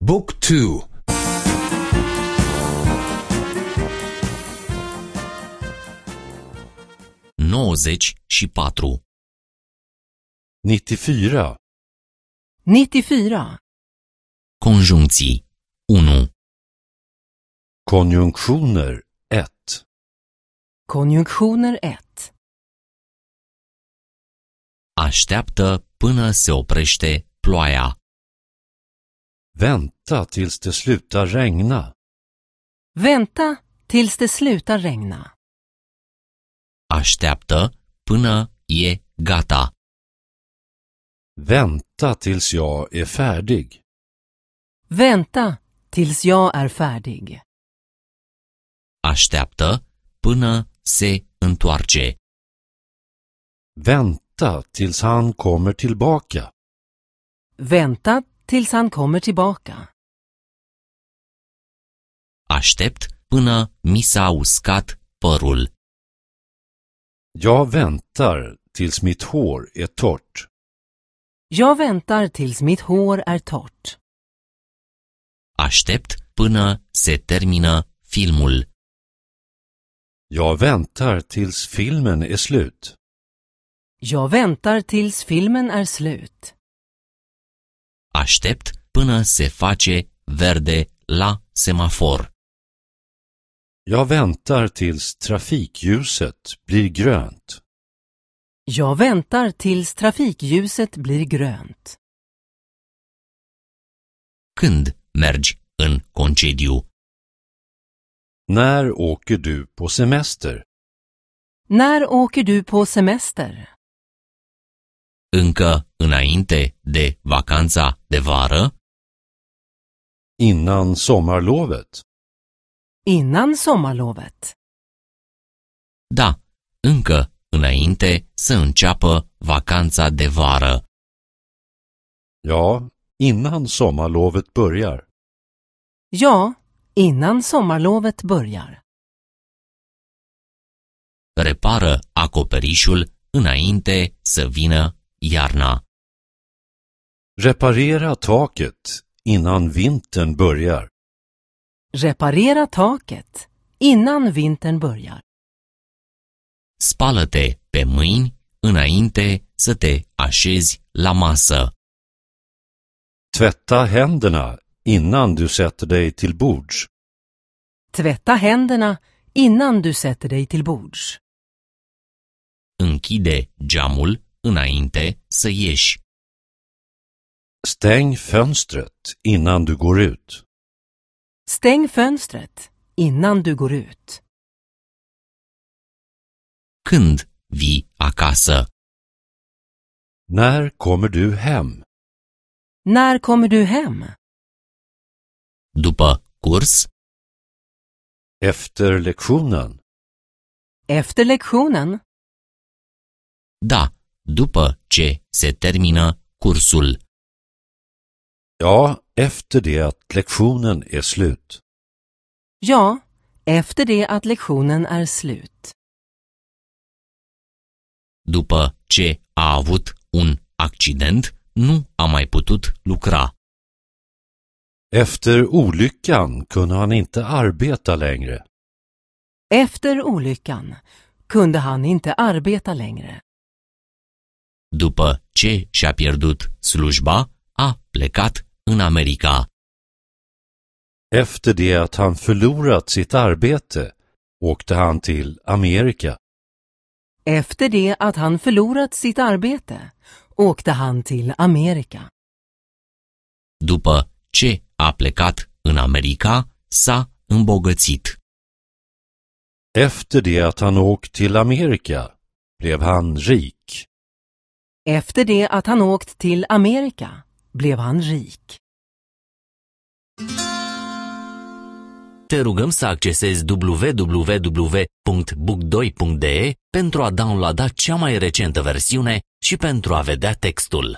Book 2. 94. 94. 94. Conjuncții 1. Konjunktioner 1. Konjunktioner 1. Așteaptă până se oprește ploaia. Vänta tills det slutar regna. Vänta tills det slutar regna. Așteaptă până e gata. Vänta tills jag är färdig. Vänta tills jag är färdig. Așteaptă până se întoarce. Vänta tills han kommer tillbaka. Vänta tills han kommer tillbaka. Aștept până mi s-a uscat părul. Jag väntar tills mitt hår är torrt. Jag väntar tills mitt hår är torrt. Aștept până se termină filmul. Jag väntar tills filmen är slut. Jag väntar tills filmen är slut. Aștept până se face verde la semafor. Jag väntar tills trafikljuset blir grönt. Jag väntar tills trafikljuset blir grönt. Când mergi în concediu? När åker du på semester? När åker du på semester? Încă înainte de vacanța de vară? Innan sommarlovet? Innan sommarlovet. Da, încă înainte să înceapă vacanța de vară. Ja, innan sommarlovet börjar. Ja, innan sommarlovet börjar. Repară acoperișul înainte să vină iarna. Reparera taket innan vintern börjar. Reparera taket innan vintern börjar. Spală-te pe mâini înainte să te așezi la masă. Tvätta händerna innan du sätter dig till bords. Tvätta händerna innan du sätter dig till bords. Închide geamul înainte să ieși. Stäng fönstret innan du går ut. Stäng fönstret innan du går ut. Când vii acasă? När kommer du hem? När kommer du hem? După curs? Efter lektionen? Efter lektionen? Da, după ce se termină cursul. Ja, efter det att lektionen är slut. Ja, efter det att lektionen är slut. După ce a avut un accident, nu a mai putut lucra. Efter olyckan kunde han inte arbeta längre. Efter olyckan kunde han inte arbeta längre. După ce și-a pierdut slujba, a plecat în America. Efter det att han förlorat sitt arbete åkte han till Amerika. Efter det att han förlorat sitt arbete åkte han till Amerika. După ce a plecat în America, s-a îmbogățit. Efter det att han åkt till Amerika blev han rik. Efter det att han åkt till Amerika blev han rik. Te rugăm să accesezi www.book2.de pentru a downloada cea mai recentă versiune și pentru a vedea textul.